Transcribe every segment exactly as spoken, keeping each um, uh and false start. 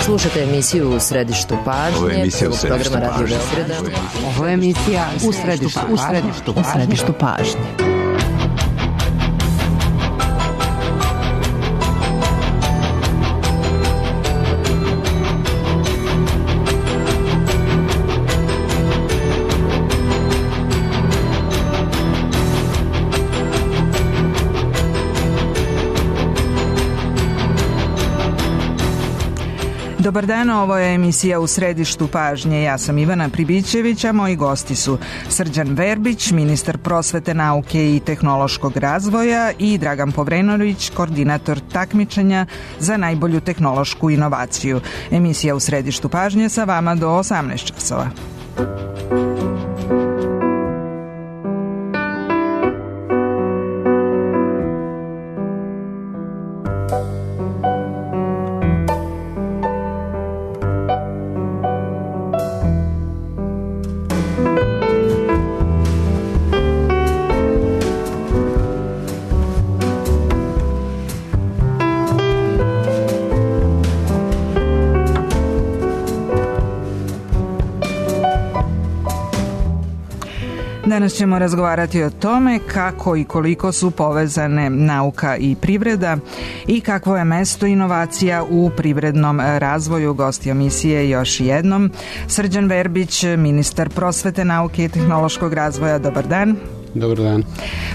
Slušajte emisiju U središtu pažnje. Ovo je emisija U središtu programa Radio pažnje. Beograda. Ovo je emisija U središtu, u središtu, u središtu pažnje. Dobar dan, ovo je emisija U središtu pažnje. Ja sam Ivana Pribićević, a moji gosti su Srđan Verbić, ministar prosvete, nauke i tehnološkog razvoja, i Dragan Povrenović, koordinator takmičenja za najbolju tehnološku inovaciju. Emisija U središtu pažnje sa vama do osamnaest časova. Danas ćemo razgovarati o tome kako i koliko su povezane nauka i privreda i kakvo je mesto inovacija u privrednom razvoju. Gosti emisije još jednom Srđan Verbić, ministar prosvete, nauke i tehnološkog razvoja. Dobar dan. Dobar dan.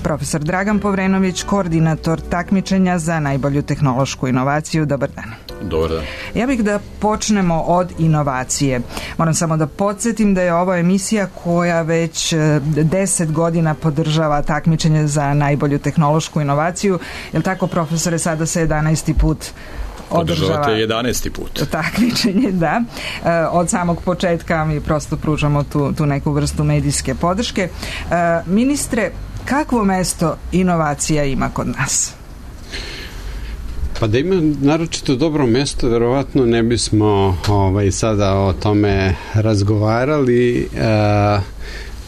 Profesor Dragan Povrenović, koordinator takmičenja za najbolju tehnološku inovaciju. Dobar dan. Dobar dan. Ja bih da počnemo od inovacije. Moram samo da podsjetim da je ovo emisija koja već deset godina podržava takmičenje za najbolju tehnološku inovaciju. Je li tako, profesore, sada se jedanaesti put održavate jedanaesti put. Takmičenje, da. Od samog početka mi prosto pružamo tu, tu neku vrstu medijske podrške. Ministre, kakvo mesto inovacija ima kod nas? Pa da ima naročito dobro mesto, verovatno ne bismo ovaj, sada o tome razgovarali, a,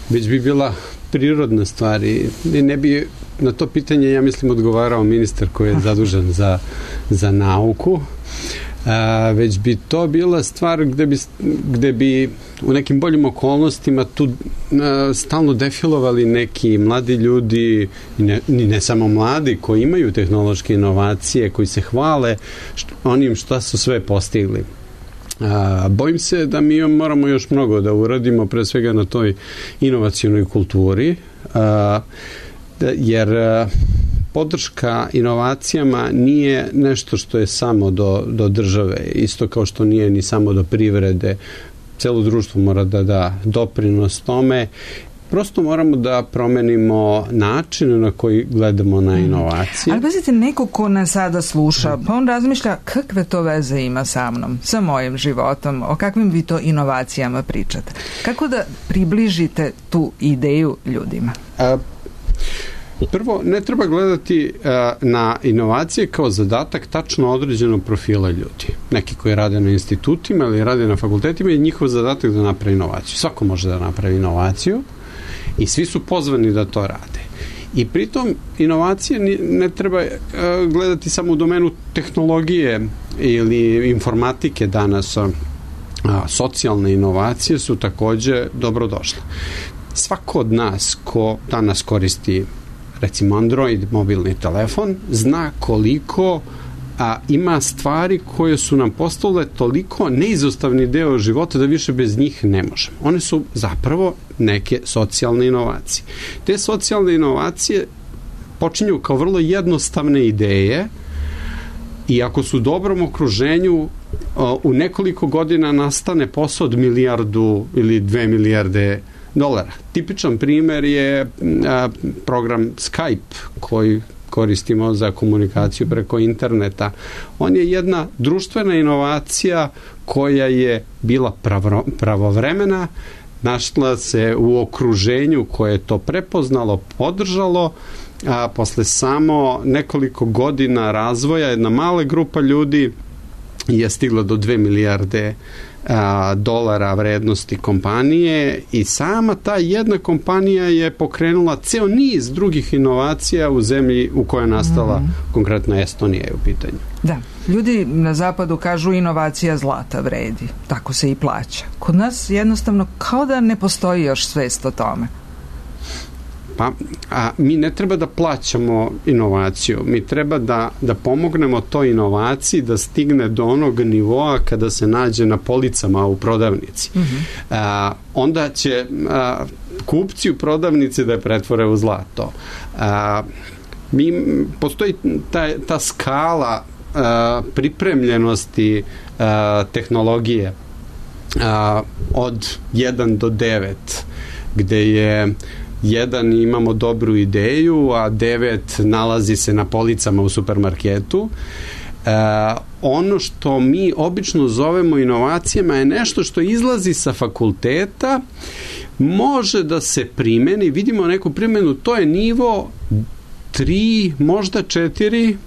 već bi bila prirodna stvar i ne bi na to pitanje, ja mislim, odgovarao ministar koji je zadužen za, za nauku, a, već bi to bila stvar gde bi, gde bi u nekim boljim okolnostima tu a, stalno defilovali neki mladi ljudi, i ne, ne samo mladi, koji imaju tehnološke inovacije, koji se hvale što, onim što su sve postigli. A, bojim se da mi moramo još mnogo da uradimo, pre svega na toj inovacionoj kulturi, a, da, jer a, podrška inovacijama nije nešto što je samo do, do države, isto kao što nije ni samo do privrede. Celo društvo mora da da doprinos tome. Prosto moramo da promenimo način na koji gledamo na inovacije. Ali pazite, neko ko nas sada sluša, pa on razmišlja kakve to veze ima sa mnom, sa mojim životom, o kakvim vi to inovacijama pričate. Kako da približite tu ideju ljudima? A, prvo, ne treba gledati a, na inovacije kao zadatak tačno određenog profila ljudi. Neki koji rade na institutima ili rade na fakultetima je njihov zadatak da napravi inovaciju. Svako može da napravi inovaciju i svi su pozvani da to rade. I pritom inovacije ne treba a, gledati samo u domenu tehnologije ili informatike danas. A, socijalne inovacije su takođe dobrodošle. Svako od nas ko danas koristi recimo Android mobilni telefon, zna koliko a, ima stvari koje su nam postale toliko neizostavni deo života da više bez njih ne možemo. One su zapravo neke socijalne inovacije. Te socijalne inovacije počinju kao vrlo jednostavne ideje i ako su u dobrom okruženju, o, u nekoliko godina nastane posao od milijardu ili dve milijarde dolara. Tipičan primer je a, program Skype koji koristimo za komunikaciju preko interneta. On je jedna društvena inovacija koja je bila pravo, pravovremena, našla se u okruženju koje je to prepoznalo, podržalo, a posle samo nekoliko godina razvoja jedna mala grupa ljudi je stigla do dve milijarde a, dolara vrednosti kompanije i sama ta jedna kompanija je pokrenula ceo niz drugih inovacija u zemlji u kojoj je nastala mm. konkretno Estonija je u pitanju. Da, ljudi na zapadu kažu inovacija zlata vredi, tako se i plaća. Kod nas jednostavno kao da ne postoji još svest o tome. Pa, a mi ne treba da plaćamo inovaciju, mi treba da, da pomognemo toj inovaciji da stigne do onog nivoa kada se nađe na policama u prodavnici. Mm-hmm. A, onda će a, kupci u prodavnici da je pretvore u zlato. A, mi, postoji ta, ta skala a, pripremljenosti a, tehnologije a, od jedan do devet, gde je jedan imamo dobru ideju, a devet nalazi se na policama u supermarketu. E, ono što mi obično zovemo inovacijama je nešto što izlazi sa fakulteta, može da se primeni, vidimo neku primjenu, to je nivo tri, možda četiri,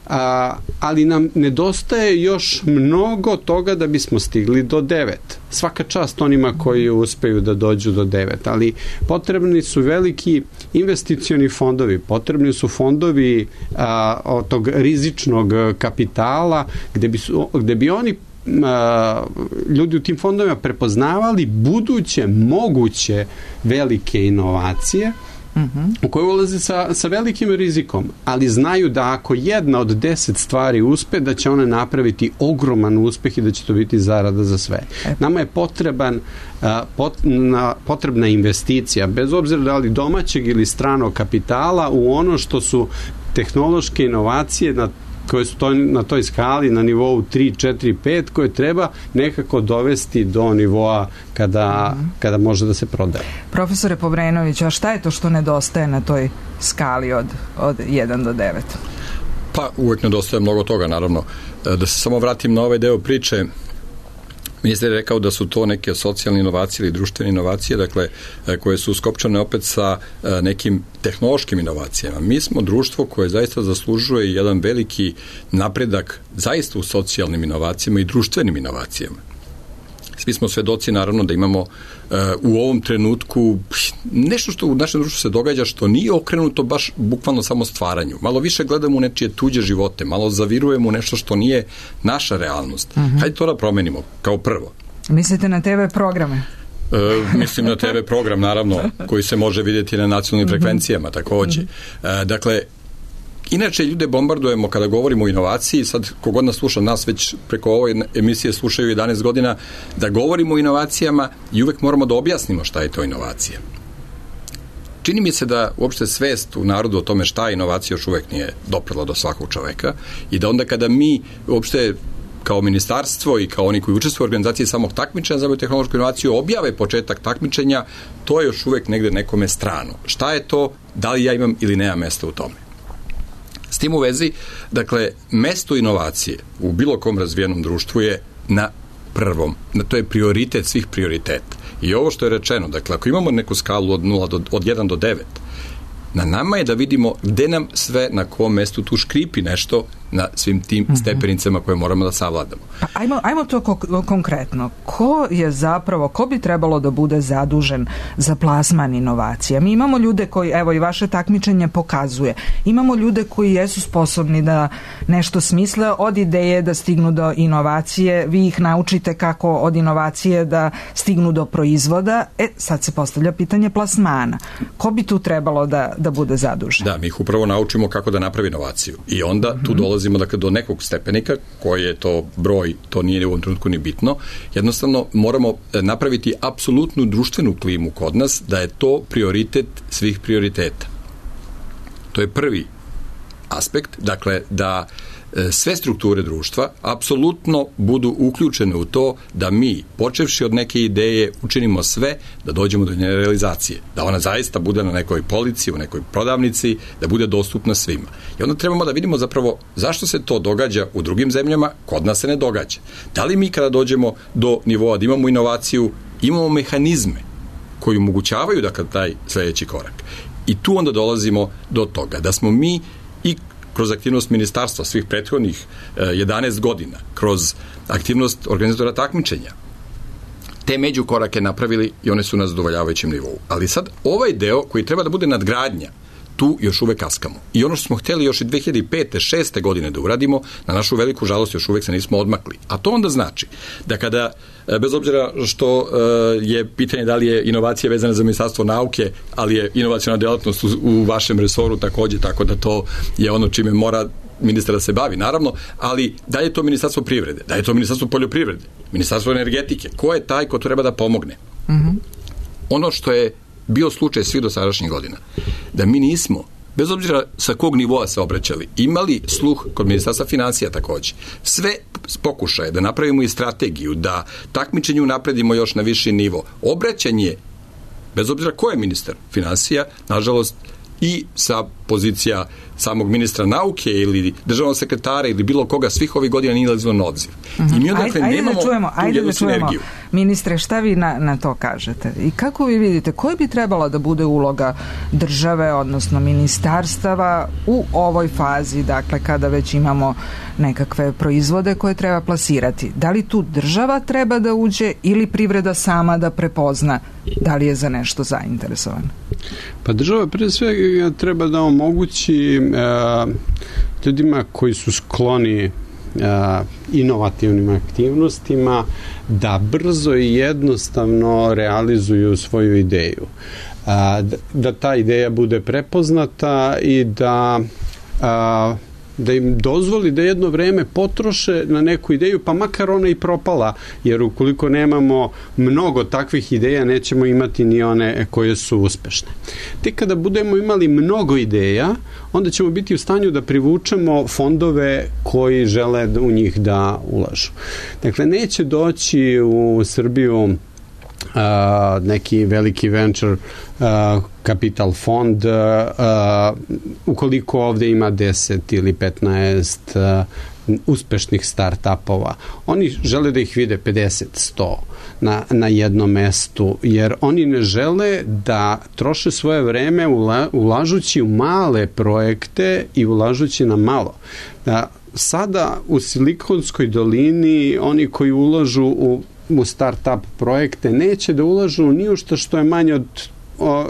a, ali nam nedostaje još mnogo toga da bismo stigli do devet. Svaka čast onima koji uspeju da dođu do devet, ali potrebni su veliki investicioni fondovi, potrebni su fondovi a, od tog rizičnog kapitala gde bi, su, gde bi oni a, ljudi u tim fondovima prepoznavali buduće moguće velike inovacije Mm-hmm. u koje ulaze sa, sa velikim rizikom, ali znaju da ako jedna od deset stvari uspe, da će one napraviti ogroman uspeh i da će to biti zarada za sve. Nama je potreban, a, pot, na, potrebna investicija, bez obzira da li domaćeg ili stranog kapitala, u ono što su tehnološke inovacije na koje su to, na toj skali na nivou tri, četiri, pet, koje treba nekako dovesti do nivoa kada, mm. kada može da se prodaje. Profesore Povrenović, a šta je to što nedostaje na toj skali od, od jedan do devet? Pa uvek nedostaje mnogo toga, naravno. Da se samo vratim na ovaj deo priče, ministar je rekao da su to neke socijalne inovacije ili društvene inovacije, dakle, koje su skopčane opet sa nekim tehnološkim inovacijama. Mi smo društvo koje zaista zaslužuje jedan veliki napredak zaista u socijalnim inovacijama i društvenim inovacijama. Svi smo svedoci, naravno, da imamo uh, u ovom trenutku nešto što u našem društvu se događa što nije okrenuto baš bukvalno samo stvaranju. Malo više gledamo u nečije tuđe živote, malo zavirujemo u nešto što nije naša realnost. Uh-huh. Hajde to da promenimo, kao prvo. Mislite na te ve programe? E, mislim na te ve program, naravno, koji se može vidjeti na nacionalnim uh-huh. frekvencijama, takođe. Uh-huh. E, dakle, inače, ljude bombardujemo kada govorimo o inovaciji, sad kogod nas sluša, nas već preko ove emisije slušaju jedanaest godina, da govorimo o inovacijama i uvek moramo da objasnimo šta je to inovacija. Čini mi se da uopšte svest u narodu o tome šta je inovacija još uvek nije doprla do svakog čoveka i da onda kada mi uopšte kao ministarstvo i kao oni koji učestvuju u organizaciji samog takmičenja za biotehnološku inovaciju objave početak takmičenja, to je još uvek negde nekome strano. Šta je to, da li ja imam ili nemam mesta u tome? S tim u vezi, dakle, mesto inovacije u bilo kom razvijenom društvu je na prvom, na to je prioritet svih prioriteta. I ovo što je rečeno, dakle, ako imamo neku skalu od nula do, od jedan do devet, na nama je da vidimo gde nam sve, na kom mestu tu škripi nešto na svim tim mm-hmm. stepenicama koje moramo da savladamo. Pa ajmo, ajmo to ko- konkretno. Ko je zapravo, ko bi trebalo da bude zadužen za plasman inovacija? Mi imamo ljude koji, evo i vaše takmičenje pokazuje, imamo ljude koji jesu sposobni da nešto smisle od ideje da stignu do inovacije, vi ih naučite kako od inovacije da stignu do proizvoda, e sad se postavlja pitanje plasmana. Ko bi tu trebalo da, da bude zadužen? Da, mi ih upravo naučimo kako da napravi inovaciju i onda mm-hmm. tu dolazimo dakle, do nekog stepenika, koji je to broj, to nije u ovom trenutku ni bitno. Jednostavno, moramo napraviti apsolutnu društvenu klimu kod nas, da je to prioritet svih prioriteta. To je prvi aspekt, dakle, da sve strukture društva apsolutno budu uključene u to da mi, počevši od neke ideje, učinimo sve da dođemo do njene realizacije. Da ona zaista bude na nekoj polici, u nekoj prodavnici, da bude dostupna svima. I onda trebamo da vidimo zapravo zašto se to događa u drugim zemljama, kod nas se ne događa. Da li mi kada dođemo do nivoa da imamo inovaciju, imamo mehanizme koji omogućavaju da kad taj sledeći korak. I tu onda dolazimo do toga da smo mi i kroz aktivnost ministarstva svih prethodnih jedanaest godina, kroz aktivnost organizatora takmičenja, te međukorake napravili i one su na zadovoljavajućem nivou. Ali sad ovaj deo koji treba da bude nadgradnja, tu još uvek kaskamo. I ono što smo hteli još i dve hiljade pete šeste godine da uradimo, na našu veliku žalost još uvek se nismo odmakli. A to onda znači da kada, bez obzira što je pitanje da li je inovacija vezana za Ministarstvo nauke, ali je inovaciona delatnost u, u vašem resoru takođe, tako da to je ono čime mora ministar da se bavi, naravno, ali da je to Ministarstvo privrede, da je to Ministarstvo poljoprivrede, Ministarstvo energetike, ko je taj ko treba da pomogne? Mm-hmm. Ono što je bio slučaj svih dosadašnjih godina, da mi nismo, bez obzira sa kog nivoa se obraćali, imali sluh kod Ministarstva finansija takođe. Sve pokušaje da napravimo i strategiju, da takmičenju napredimo još na viši nivo. Obraćanje, bez obzira ko je ministar finansija, nažalost, i sa pozicija samog ministra nauke ili državnog sekretara ili bilo koga svih ovih godina nije nalazilo na obzir. Uh-huh. I mi onda ajde, nemamo da čujemo, tu jednu sinergiju. Ministre, šta vi na, na to kažete? I kako vi vidite, koja bi trebala da bude uloga države, odnosno ministarstava u ovoj fazi, dakle, kada već imamo nekakve proizvode koje treba plasirati? Da li tu država treba da uđe ili privreda sama da prepozna da li je za nešto zainteresovana? Pa država pre svega treba da omogući e, ljudima koji su skloni e, inovativnim aktivnostima da brzo i jednostavno realizuju svoju ideju. A, da, da ta ideja bude prepoznata i da a, da im dozvoli da jedno vreme potroše na neku ideju, pa makar ona i propala, jer ukoliko nemamo mnogo takvih ideja, nećemo imati ni one koje su uspešne. Tek kada budemo imali mnogo ideja, onda ćemo biti u stanju da privučemo fondove koji žele u njih da ulažu. Dakle, neće doći u Srbiju Uh, neki veliki venture uh, capital fond uh, uh, ukoliko ovde ima deset ili petnaest uh, uspešnih start-upova. Oni žele da ih vide pedeset, sto na, na jednom mestu, jer oni ne žele da troše svoje vreme ula, ulažući u male projekte i ulažući na malo. Da, sada u Silikonskoj dolini oni koji ulažu u u start-up projekte neće da ulažu ni u što što je manje od o,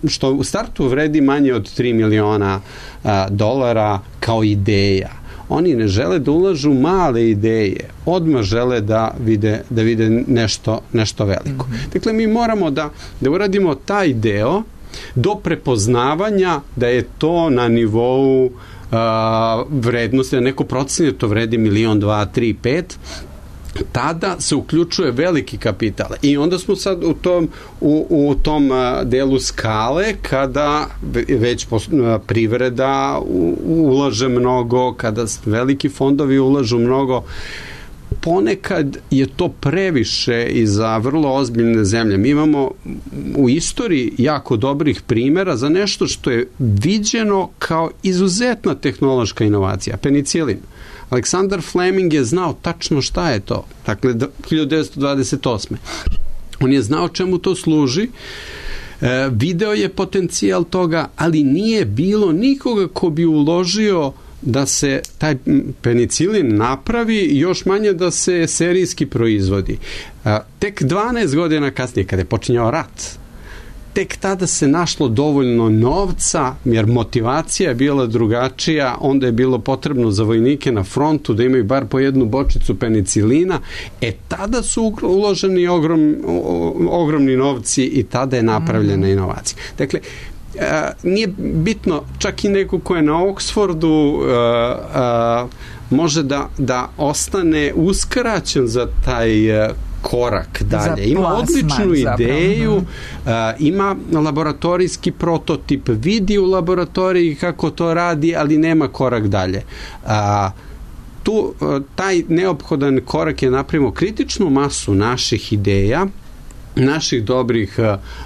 što u startu vredi manje od tri miliona a, dolara kao ideja. Oni ne žele da ulažu male ideje, odmah žele da vide, da vide nešto, nešto veliko. Mm-hmm. Dakle, mi moramo da, da uradimo taj deo do prepoznavanja da je to na nivou uh, vrednosti, da neko procene to vredi milion, dva, tri, pet, tada se uključuje veliki kapital i onda smo sad u tom, u, u tom delu skale kada već privreda ulaže mnogo, kada veliki fondovi ulažu mnogo. Ponekad je to previše i za vrlo ozbiljne zemlje. Mi imamo u istoriji jako dobrih primjera za nešto što je viđeno kao izuzetna tehnološka inovacija. Penicilin. Aleksandar Fleming je znao tačno šta je to. Dakle, hiljadu devetsto dvadeset osme. On je znao čemu to služi, e, video je potencijal toga, ali nije bilo nikoga ko bi uložio da se taj penicilin napravi i još manje da se serijski proizvodi. E, tek dvanaest godina kasnije, kada je počinjao rat, tek tada se našlo dovoljno novca, jer motivacija je bila drugačija, onda je bilo potrebno za vojnike na frontu da imaju bar po jednu bočicu penicilina, e tada su uloženi ogrom, ogromni novci i tada je napravljena mm. inovacija. Dakle, a, nije bitno, čak i neko ko je na Oxfordu a, a, može da, da ostane uskraćen za taj a, korak dalje. Ima plasman, odličnu ideju, uh, ima laboratorijski prototip, vidi u laboratoriji kako to radi, ali nema korak dalje. Uh, tu uh, taj neophodan korak je napravimo kritičnu masu naših ideja, naših dobrih uh,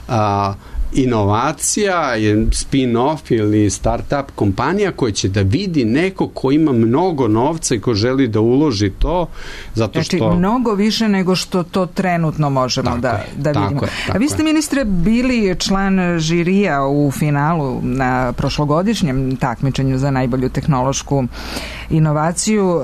uh, inovacija, spin-off ili start-up kompanija koja će da vidi neko ko ima mnogo novca i ko želi da uloži to, zato što... Znači, mnogo više nego što to trenutno možemo tako da, je, da vidimo. Tako je, tako A vi ste, ministre, bili član žirija u finalu na prošlogodišnjem takmičenju za najbolju tehnološku inovaciju. Uh,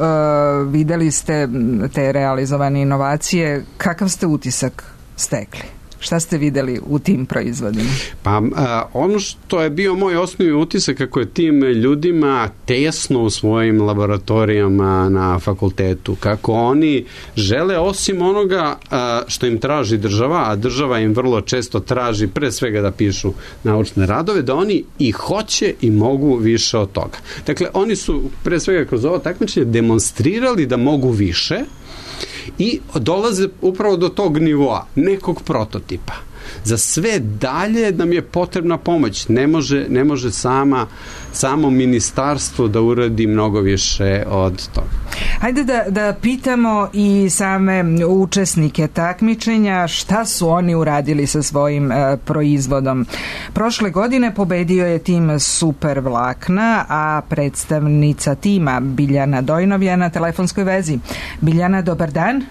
videli ste te realizovane inovacije. Kakav ste utisak stekli? Šta ste videli u tim proizvodima? Pa a, ono što je bio moj osnovni utisak kako je tim ljudima tesno u svojim laboratorijama na fakultetu, kako oni žele osim onoga a, što im traži država, a država im vrlo često traži pre svega da pišu naučne radove, da oni i hoće i mogu više od toga. Dakle, oni su pre svega kroz ovo takmičenje demonstrirali da mogu više i dolaze upravo do tog nivoa, nekog prototipa. Za sve dalje nam je potrebna pomoć. Ne može, ne može sama, samo ministarstvo da uradi mnogo više od toga. Hajde da, da pitamo i same učesnike takmičenja šta su oni uradili sa svojim e, proizvodom. Prošle godine pobedio je tim Super Vlakna, a predstavnica tima Biljana Dojnov je na telefonskoj vezi. Biljana, dobar dan.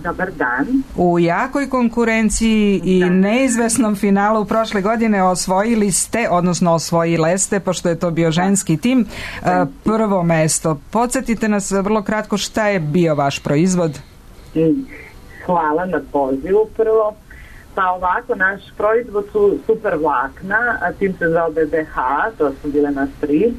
Dobar dan. U jakoj konkurenciji i da. neizvesnom finalu prošle godine osvojili ste, odnosno osvojile ste, pošto je to bio ženski tim, prvo mesto. Podsjetite nas vrlo kratko šta je bio vaš proizvod? Hvala na pozivu prvo. Pa ovako, naš proizvod su Super Vlakna, a tim se zove B B H, to su bile nas tri.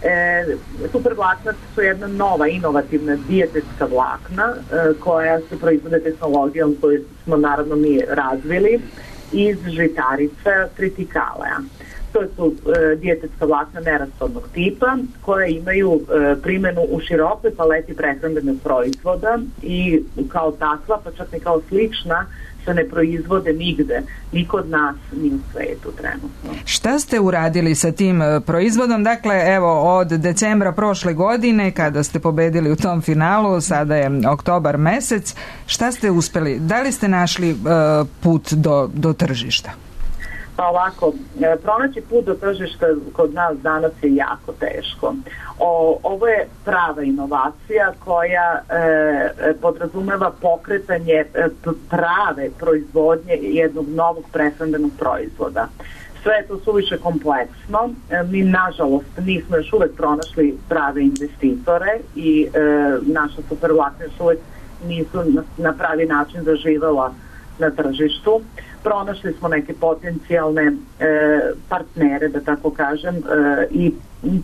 E, super vlakna su jedna nova inovativna dijetetska vlakna e, koja se proizvode tehnologijom koju smo naravno mi razvili iz žitarica tritikaleja. To su e, dijetetska vlakna nerastornog tipa koja imaju e, primjenu u širokoj paleti prehrambenog proizvoda i kao takva, pa čak i kao slična, se ne proizvode nigde, ni kod nas, ni u svetu trenutno. Šta ste uradili sa tim proizvodom? Dakle, evo, od decembra prošle godine, kada ste pobedili u tom finalu, sada je oktobar mesec, šta ste uspeli? Da li ste našli uh, put do, do tržišta? Pa ovako, pronaći put do tržišta kod nas danas je jako teško. O, ovo je prava inovacija koja e, podrazumeva pokretanje e, prave proizvodnje jednog novog prehrambenog proizvoda. Sve je to suviše kompleksno. E, mi, nažalost, nismo još uvek pronašli prave investitore i e, naša Super Vlakna još uvek nisu na, na pravi način zaživela na tržištu. Pronašli smo neke potencijalne e, partnere, da tako kažem, e, i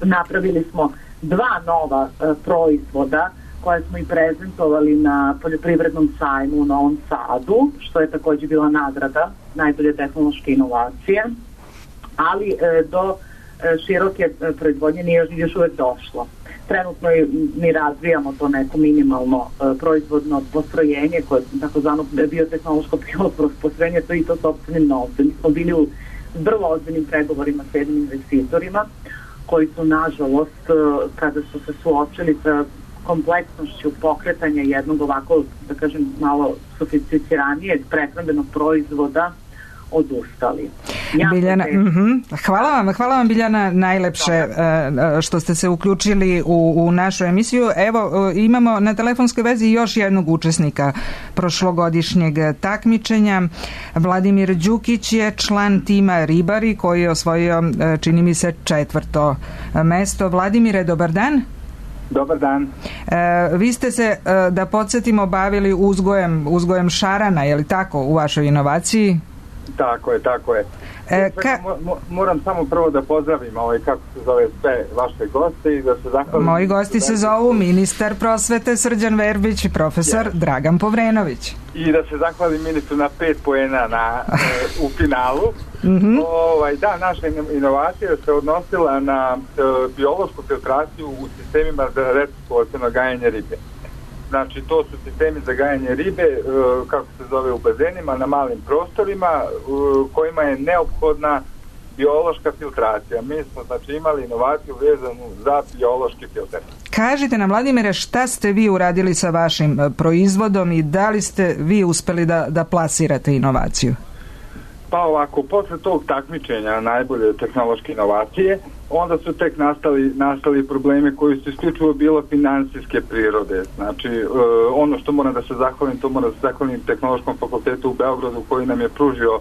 napravili smo dva nova e, proizvoda koje smo i prezentovali na poljoprivrednom sajmu u Novom Sadu, što je također bila nagrada najbolje tehnološke inovacije, ali e, do e, široke e, proizvodnje nije još, još uvek došlo. Trenutno mi razvijamo to neko minimalno e, proizvodno postrojenje koje je takozvano biotehnološko pilot postrojenje, to i to sopstvenim novcem. Mi smo bili u vrlo ozbiljnim pregovorima s jednim investitorima koji su, nažalost, e, kada su se suočili sa kompleksnošću pokretanja jednog ovako, da kažem, malo sofisticiranijeg prehrambenog proizvoda odustali. Biljana, mm-hmm. Hvala vam, hvala vam Biljana najlepše uh, što ste se uključili u, u našu emisiju. Evo, uh, imamo na telefonskoj vezi još jednog učesnika prošlogodišnjeg takmičenja. Vladimir Đukić je član tima Ribari koji je osvojio, uh, čini mi se, četvrto mesto. Vladimire, dobar dan. Dobar dan. E, vi ste se, e, da podsjetimo, bavili uzgojem, uzgojem šarana, je li tako, u vašoj inovaciji? Tako je, tako je. E, ka... Mo, moram samo prvo da pozdravim ovaj, kako se zove, sve vaše goste i da se zahvalim. Moji gosti se zovu ministar prosvete Srđan Verbić i profesor yes. Dragan Povrenović. I da se zahvalim ministru na pet poena na, e, u finalu. Mm-hmm. Ovaj, da, naša inovacija se odnosila na e, biološku filtraciju u sistemima za recirkulaciono gajanje ribe. Znači, to su sistemi za gajanje ribe, e, kako se zove, u bazenima, na malim prostorima, e, kojima je neophodna biološka filtracija. Mi smo, znači, imali inovaciju vezanu za biološki filter. Kažite nam, Vladimire, šta ste vi uradili sa vašim proizvodom i da li ste vi uspeli da, da plasirate inovaciju? Pa ovako, posle tog takmičenja najbolje tehnološke inovacije, onda su tek nastali, nastali problemi koji su isključivo bilo finansijske prirode. Znači, e, ono što moram da se zahvalim, to moram da se zahvalim Tehnološkom fakultetu u Beogradu koji nam je pružio e,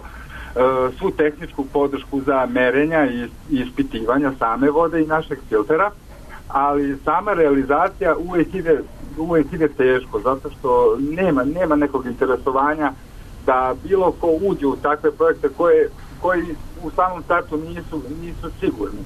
svu tehničku podršku za merenja i, i ispitivanja same vode i našeg filtera, ali sama realizacija uvijek ide, uvijek ide teško, zato što nema, nema nekog interesovanja da bilo ko uđe u takve projekte koje, koji u samom startu nisu, nisu sigurni.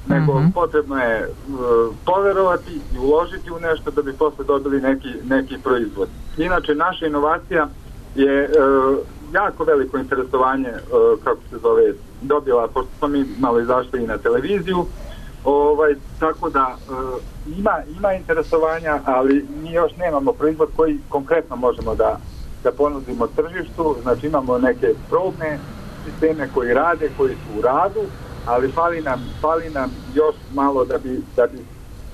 Nego mm-hmm. potrebno je uh, poverovati i uložiti u nešto da bi posle dobili neki, neki proizvod. Inače, naša inovacija je uh, jako veliko interesovanje, uh, kako se zove, dobila, pošto smo mi malo izašli i na televiziju, ovaj, tako da uh, ima, ima interesovanja, ali mi još nemamo proizvod koji konkretno možemo da, da ponudimo tržištu. Znači imamo neke probne sisteme koji rade, koji su u radu, ali fali nam, fali nam još malo da bi, da bi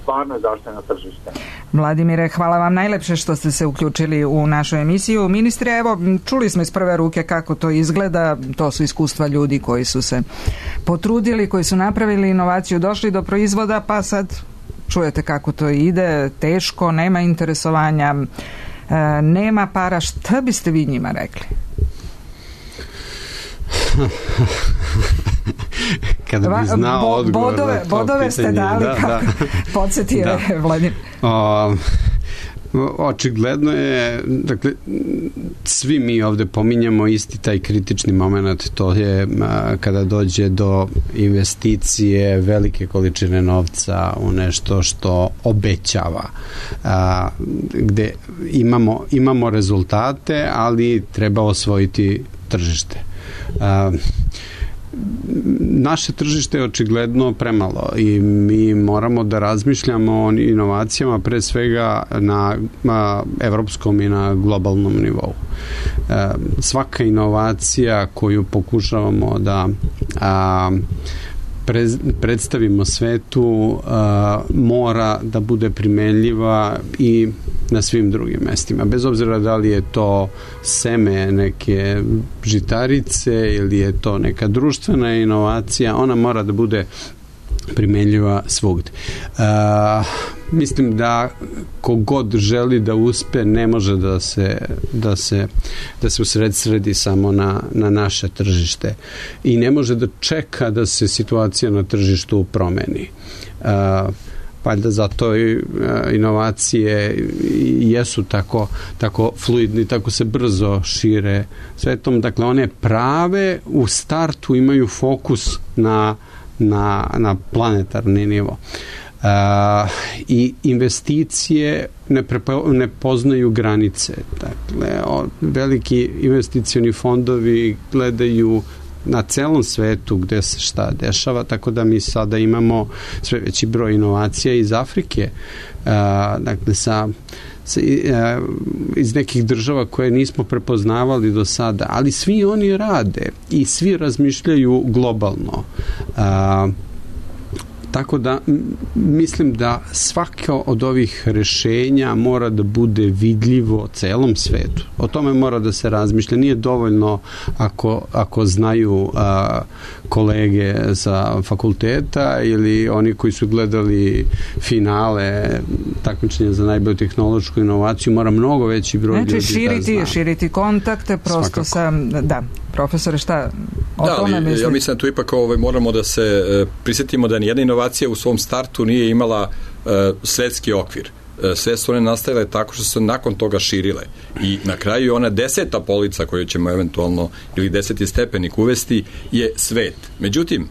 stvarno zašli na tržište. Vladimire, hvala vam najlepše što ste se uključili u našu emisiju. Ministre, evo, čuli smo iz prve ruke kako to izgleda, to su iskustva ljudi koji su se potrudili, koji su napravili inovaciju, došli do proizvoda, pa sad čujete kako to ide, teško, nema interesovanja, nema para. Šta biste vi njima rekli? Kada bi znao Bo, odgovor bodove, na to bodove pitanje, ste dali, da, kako da. podsjetio da. je Vladimir. O, očigledno je, dakle, svi mi ovde pominjamo isti taj kritični moment, to je a, kada dođe do investicije velike količine novca u nešto što obećava, a, gde imamo, imamo rezultate, ali treba osvojiti tržište. A, naše tržište je očigledno premalo i mi moramo da razmišljamo o inovacijama pre svega na, na evropskom i na globalnom nivou. E, svaka inovacija koju pokušavamo da a, pre, predstavimo svetu a, mora da bude primenljiva i na svim drugim mestima. Bez obzira da li je to seme neke žitarice ili je to neka društvena inovacija, ona mora da bude primenljiva svugde. Uh, mislim da kogod želi da uspe ne može da se da se, da se usredsredi samo na, na naše tržište i ne može da čeka da se situacija na tržištu promeni. Uh, pa da zato i inovacije jesu tako, tako fluidni, tako se brzo šire svetom. Dakle, one prave u startu imaju fokus na, na, na planetarni nivo. Uh, i investicije ne, prepo, ne poznaju granice. Dakle, o, veliki investicioni fondovi gledaju na celom svetu gde se šta dešava, tako da mi sada imamo sve veći broj inovacija iz Afrike, a, dakle sa, sa a, iz nekih država koje nismo prepoznavali do sada, ali svi oni rade i svi razmišljaju globalno. A, Tako da mislim da svako od ovih rešenja mora da bude vidljivo celom svetu. O tome mora da se razmišlja. Nije dovoljno ako, ako znaju a, kolege sa fakulteta ili oni koji su gledali finale takmičenja za najbolju tehnološku inovaciju, mora mnogo veći broj znači, ljudi širiti, da zna. Širiti kontakte, prosto sa... Da, profesore, šta o da, tome mislite? Ja mislim da tu ipak ovaj, moramo da se e, prisjetimo da nijedna inovacija u svom startu nije imala e, svetski okvir. E, sve su one nastavile tako što su se nakon toga širile. I na kraju ona deseta polica koju ćemo eventualno ili deseti stepenik uvesti je svet. Međutim,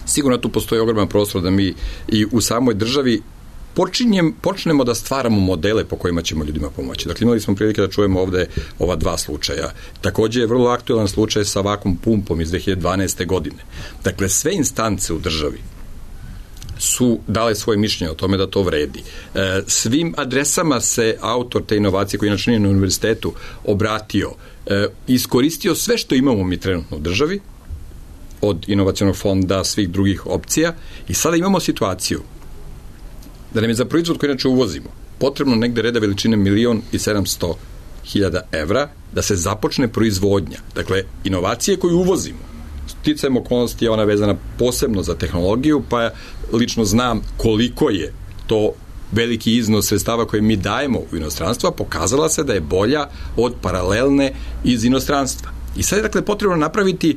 sigurno tu postoji ogroman prostor da mi i u samoj državi Počinjem, počnemo da stvaramo modele po kojima ćemo ljudima pomoći. Dakle, imali smo prilike da čujemo ovde ova dva slučaja. Takođe je vrlo aktualan slučaj sa vakum pumpom iz dve hiljade dvanaeste. godine. Dakle, sve instance u državi su dale svoje mišljenje o tome da to vredi. E, svim adresama se autor te inovacije, koji inače nije na univerzitetu, obratio, e, iskoristio sve što imamo mi trenutno u državi, od inovacionog fonda, svih drugih opcija, i sada imamo situaciju da nam je za proizvod koji inače uvozimo potrebno negde reda veličine milion i sedamsto hiljada evra da se započne proizvodnja. Dakle, inovacije koju uvozimo, sticajem okolnosti je ona vezana posebno za tehnologiju, pa lično znam koliko je to veliki iznos sredstava koje mi dajemo u inostranstvo, pokazala se da je bolja od paralelne iz inostranstva. I sad je, dakle, potrebno napraviti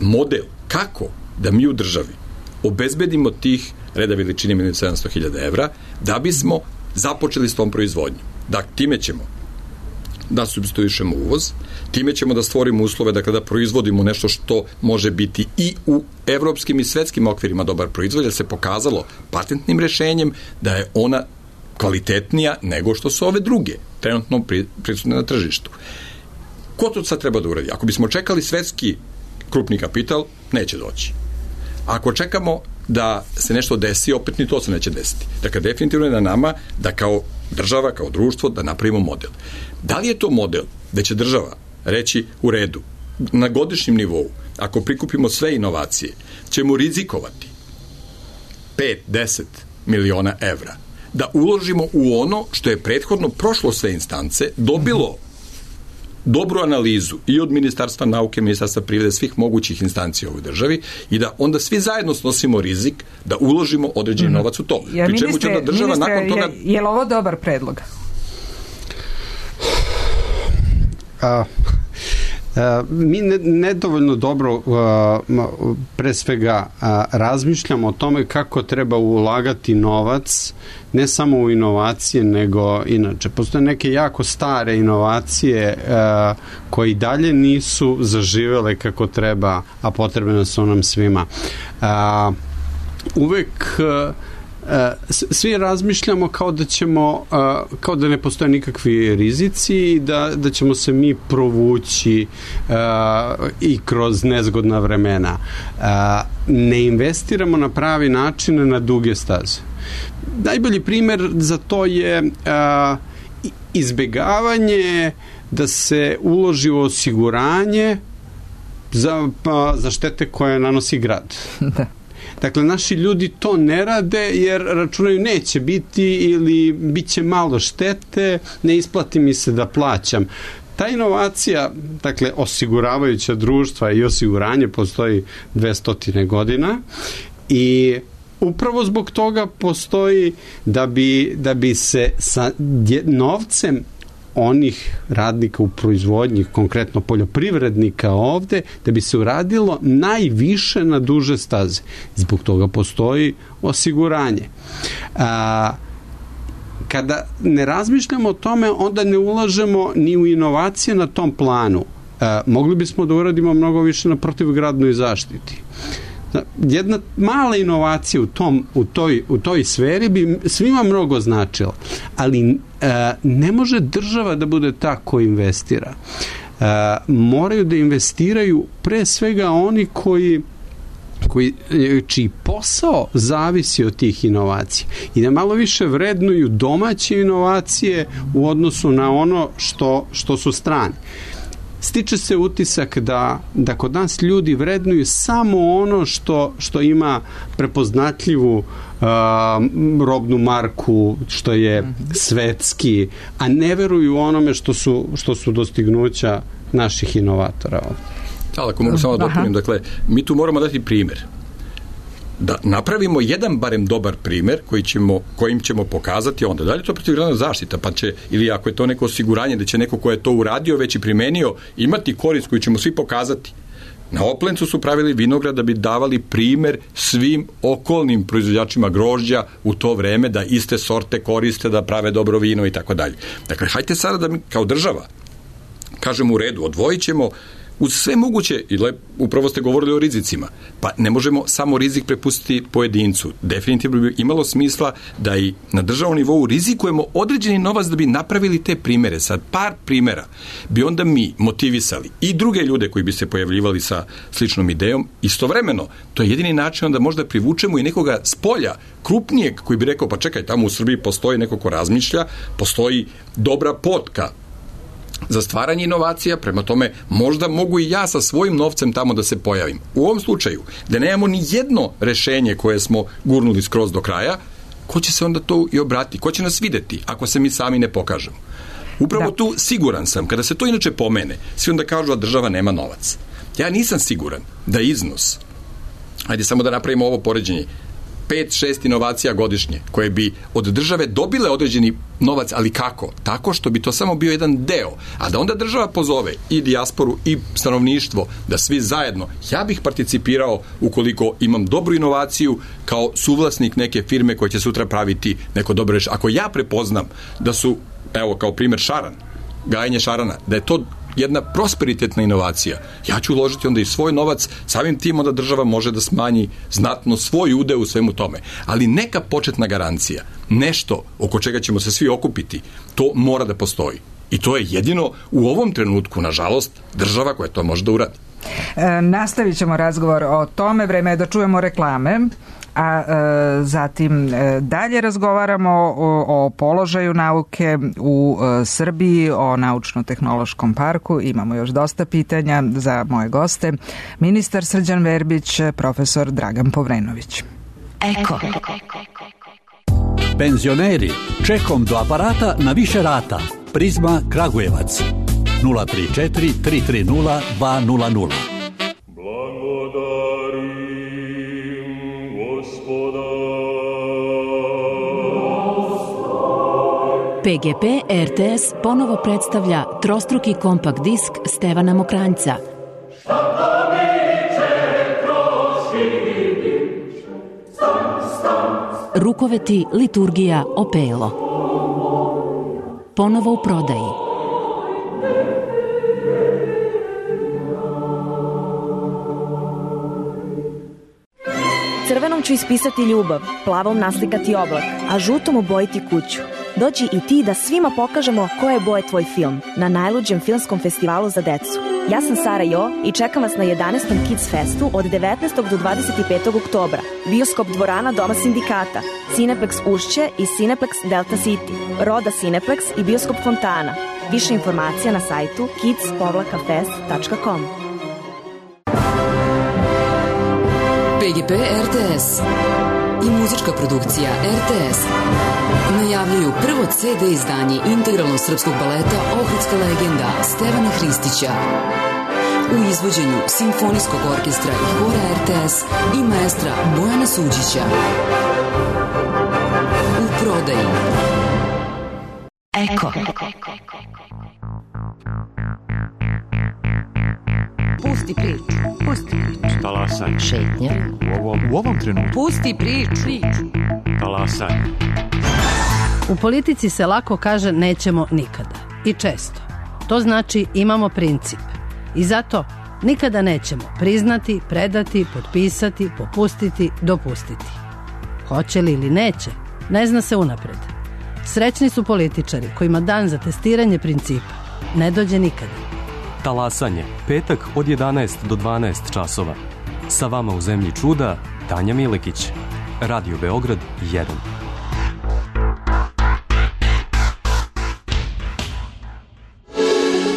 model kako da mi u državi obezbedimo tih reda veličine milion i sedamsto hiljada evra da bismo započeli s tom proizvodnjom. Dakle, time ćemo da supstituišemo uvoz, time ćemo da stvorimo uslove dakle, da proizvodimo nešto što može biti i u evropskim i svetskim okvirima dobar proizvod, jer se pokazalo patentnim rešenjem da je ona kvalitetnija nego što su ove druge, trenutno prisutne na tržištu. Ko to sad treba da uradi? Ako bismo čekali svetski krupni kapital, neće doći. Ako čekamo da se nešto desi, opet ni to se neće desiti. Dakle, definitivno je na nama da kao država, kao društvo, da napravimo model. Da li je to model da će država reći u redu, na godišnjem nivou, ako prikupimo sve inovacije, ćemo rizikovati pet do deset miliona evra, da uložimo u ono što je prethodno prošlo sve instance, dobilo dobru analizu i od Ministarstva nauke, Ministarstva privrede, svih mogućih instancija u ovoj državi i da onda svi zajedno snosimo rizik da uložimo određeni mm-hmm. novac u to. Ja, Pri čemu ministre, će onda država ministre, nakon toga... Je, je li ovo dobar predlog? A... Uh, mi ne, nedovoljno dobro uh, pre svega uh, razmišljamo o tome kako treba ulagati novac ne samo u inovacije nego inače. Postoje neke jako stare inovacije uh, koje dalje nisu zaživele kako treba, a potrebne su nam svima. Uh, uvek uh, svi razmišljamo kao da ćemo kao da ne postoje nikakvi rizici i da, da ćemo se mi provući uh, i kroz nezgodna vremena. Uh, ne investiramo na pravi način na duge staze. Najbolji primer za to je uh, izbegavanje da se uloži u osiguranje za, pa, za štete koje nanosi grad. Da. Dakle, naši ljudi to ne rade jer računaju neće biti ili bit će malo štete, ne isplati mi se da plaćam. Ta inovacija, dakle, osiguravajuća društva i osiguranje postoji dvesta godina i upravo zbog toga postoji da bi, da bi se sa novcem onih radnika u proizvodnji, konkretno poljoprivrednika ovde, da bi se uradilo najviše na duže staze. Zbog toga postoji osiguranje. A, kada ne razmišljamo o tome, onda ne ulažemo ni u inovacije na tom planu. A, mogli bismo da uradimo mnogo više na protivgradnoj zaštiti. Jedna mala inovacija u, tom, u, toj, u toj sferi bi svima mnogo značila, ali e, ne može država da bude ta ko investira. E, moraju da investiraju pre svega oni koji koji, čiji posao zavisi od tih inovacija i da malo više vrednuju domaće inovacije u odnosu na ono što, što su strane. Stiče se utisak da, da kod nas ljudi vrednuju samo ono što, što ima prepoznatljivu uh, robnu marku, što je svetski, a ne veruju onome što su, što su dostignuća naših inovatora ovdje. Da, ako mogu samo dopunim, dakle, mi tu moramo dati primjer. Da napravimo jedan barem dobar primjer koji ćemo, kojim ćemo pokazati onda. Da li je to protivgradna zaštita, pa će, ili ako je to neko osiguranje da će neko ko je to uradio već i primenio imati korist koju ćemo svi pokazati. Na Oplencu su pravili vinograd da bi davali primjer svim okolnim proizvođačima grožđa u to vreme da iste sorte koriste, da prave dobro vino i tako dalje. Dakle, hajte sada da mi kao država kažemo u redu, odvojit ćemo uz sve moguće, i lep, upravo ste govorili o rizicima, pa ne možemo samo rizik prepustiti pojedincu. Definitivno bi imalo smisla da i na državnom nivou rizikujemo određeni novac da bi napravili te primere. Sad par primera bi onda mi motivisali i druge ljude koji bi se pojavljivali sa sličnom idejom. Istovremeno, to je jedini način da možda privučemo i nekoga s polja, krupnijeg, koji bi rekao, pa čekaj, tamo u Srbiji postoji neko ko razmišlja, postoji dobra potka za stvaranje inovacija, prema tome možda mogu i ja sa svojim novcem tamo da se pojavim. U ovom slučaju, da nemamo ni jedno rešenje koje smo gurnuli skroz do kraja, ko će se onda to i obrati? Ko će nas videti ako se mi sami ne pokažemo? Upravo da. Tu siguran sam, kada se to inače pomene, svi onda kažu da država nema novac. Ja nisam siguran da iznos, ajde samo da napravimo ovo poređenje, pet šest inovacija godišnje, koje bi od države dobile određeni novac, ali kako? Tako što bi to samo bio jedan deo, a da onda država pozove i dijasporu i stanovništvo, da svi zajedno, ja bih participirao ukoliko imam dobru inovaciju kao suvlasnik neke firme koja će sutra praviti neko dobro rešenje. Ako ja prepoznam da su, evo kao primjer Šaran, gajenje šarana, da je to jedna prosperitetna inovacija. Ja ću uložiti onda i svoj novac, samim tim onda država može da smanji znatno svoj udeo u svemu tome. Ali neka početna garancija, nešto oko čega ćemo se svi okupiti, to mora da postoji. I to je jedino u ovom trenutku, nažalost, država koja to može da uradi. E, nastavit ćemo razgovor o tome, vreme je da čujemo reklame, a e, zatim e, dalje razgovaramo o, o položaju nauke u e, Srbiji, o naučno-tehnološkom parku. Imamo još dosta pitanja za moje goste. Ministar Srđan Verbić, profesor Dragan Povrenović. Eko. Penzioneri, čekom do aparata na više rata. Prizma Kragujevac nula tri četiri tri tri nula dva nula nula. P G P R T S ponovo predstavlja trostruki kompakt disk Stevana Mokranjca. Rukoveti, liturgija, opelo. Ponovo u prodaji. Crvenom ću ispisati ljubav, plavom naslikati oblak, a žutom obojiti kuću. Dođi i ti da svima pokažemo koje boje tvoj film na najluđem filmskom festivalu za decu. Ja sam Sara Jo i čekam vas na jedanaestom Kids Festu od devetnaestog do dvadeset petog oktobra. Bioskop Dvorana Doma sindikata, Cineplex Ušće i Cineplex Delta City, Roda Cineplex i Bioskop Fontana. Više informacija na sajtu kids fest tačka com. P G P R T S i muzička produkcija R T S najavljuju prvo C D izdanje integralnog srpskog baleta Ohridska legenda Stevana Hristića u izvođenju Simfonijskog orkestra i hora R T S i maestra Bojana Suđića. U prodaji. Eko. Pusti priču. Pusti priču. Talasaj. Šetnja. U ovom, u ovom trenutku. Pusti priču. Talasaj. U politici se lako kaže nećemo nikada. I često. To znači imamo princip. I zato nikada nećemo priznati, predati, potpisati, popustiti, dopustiti. Hoće li ili neće, ne zna se unapred. Srećni su političari kojima dan za testiranje principa ne dođe nikada. Talasanje, petak od jedanaest do dvanaest časova. Sa vama u zemlji čuda, Tanja Milekić. Radio Beograd jedan.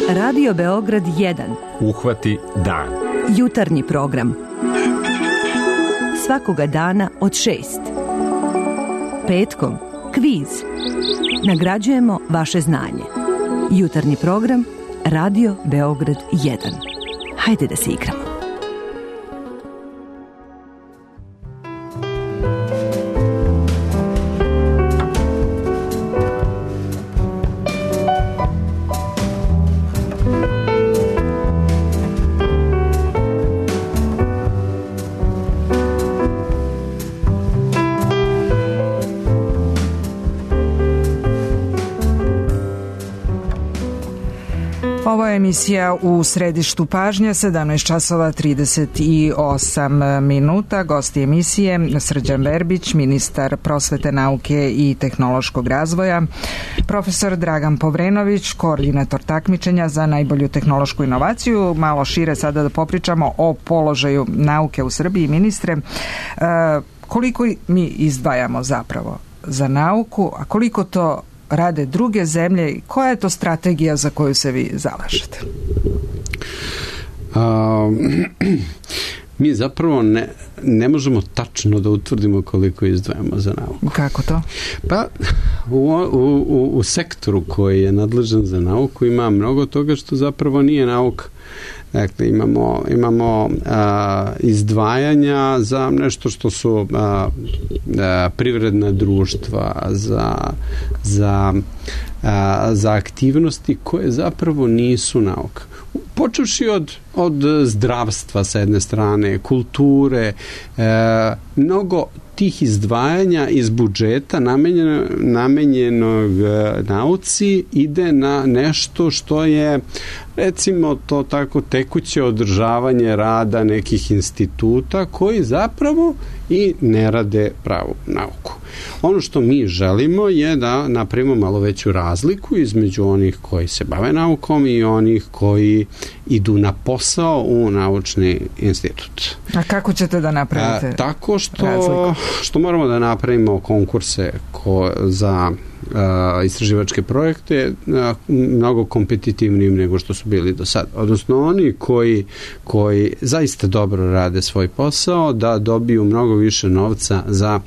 Radio Beograd jedan. Uhvati dan. Jutarnji program. Svakoga dana od šest. Petkom kviz. Nagrađujemo vaše znanje. Jutarnji program Radio Beograd jedan. Hajde da se igramo. Ovo je emisija U središtu pažnje, sedamnaest časova trideset osam minuta. Gosti emisije Srđan Verbić, ministar prosvete, nauke i tehnološkog razvoja, profesor Dragan Povrenović, koordinator takmičenja za najbolju tehnološku inovaciju. Malo šire sada da popričamo o položaju nauke u Srbiji. Ministre, koliko mi izdvajamo zapravo za nauku, a koliko to rade druge zemlje i koja je to strategija za koju se vi zalažete? A, mi zapravo ne, ne možemo tačno da utvrdimo koliko izdvajamo za nauku. Kako to? Pa u, u, u sektoru koji je nadležan za nauku ima mnogo toga što zapravo nije nauka. Dakle, imamo, imamo a, izdvajanja za nešto što su a, a, privredna društva, za, za, a, za aktivnosti koje zapravo nisu nauka. Počevši od, od zdravstva sa jedne strane, kulture, e, mnogo tih izdvajanja iz budžeta namenjeno, namenjenog nauci ide na nešto što je, recimo to tako, tekuće održavanje rada nekih instituta koji zapravo i ne rade pravu nauku. Ono što mi želimo je da napravimo malo veću razliku između onih koji se bave naukom i onih koji idu na posao u naučni institut. A kako ćete da napravite A, tako što, razliku? što moramo da napravimo konkurse ko, za a, istraživačke projekte a, mnogo kompetitivnijim nego što su bili do sada. Odnosno oni koji, koji zaista dobro rade svoj posao da dobiju mnogo više novca za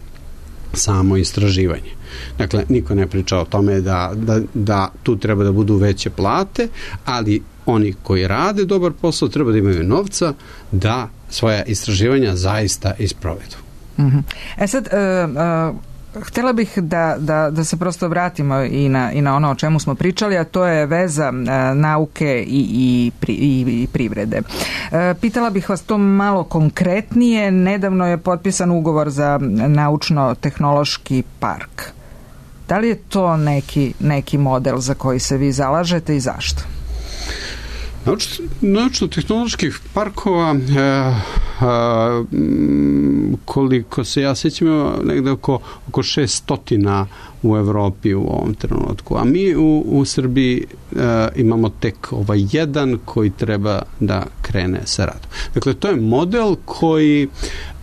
samo istraživanje. Dakle, niko ne priča o tome da, da, da tu treba da budu veće plate, ali oni koji rade dobar posao treba da imaju novca da svoja istraživanja zaista isprovedu. Mm-hmm. E sad, uh, uh, htjela bih da, da, da se prosto vratimo i na, i na ono o čemu smo pričali, a to je veza uh, nauke i, i, pri, i, i privrede. Uh, pitala bih vas to malo konkretnije. Nedavno je potpisan ugovor za naučno-tehnološki park. Da li je to neki, neki model za koji se vi zalažete i zašto? Naučno-tehnoloških parkova e, e, koliko se ja sjećam negde oko, oko šeststotina u Evropi u ovom trenutku, a mi u, u Srbiji e, imamo tek ovaj jedan koji treba da krene sa radom. Dakle, to je model koji,